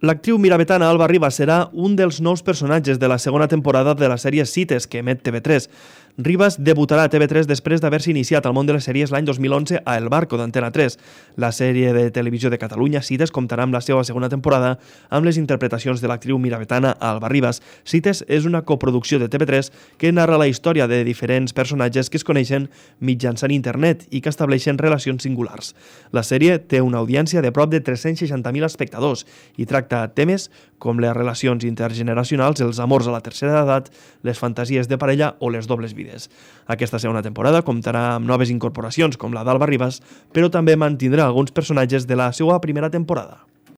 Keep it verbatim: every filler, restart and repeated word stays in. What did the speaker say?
L'actriu miravetana Alba Ribas serà un dels nous personatges de la segona temporada de la sèrie Cites, que emet T V tres. Ribas debutarà a T V tres després d'haver-se iniciat al món de les sèries l'any dos mil onze a El Barco d'Antena tres. La sèrie de televisió de Catalunya, Cites, comptarà amb la seva segona temporada amb les interpretacions de l'actriu miravetana Alba Ribas. Cites és una coproducció de T V tres que narra la història de diferents personatges que es coneixen mitjançant internet i que estableixen relacions singulars. La sèrie té una audiència de prop de tres-cents seixanta mil espectadors i tracta temes com les relacions intergeneracionals, els amors a la tercera edat, les fantasies de parella o les dobles vides. Aquesta segona temporada comptarà amb noves incorporacions com la d'Alba Ribas, però també mantindrà alguns personatges de la seva primera temporada.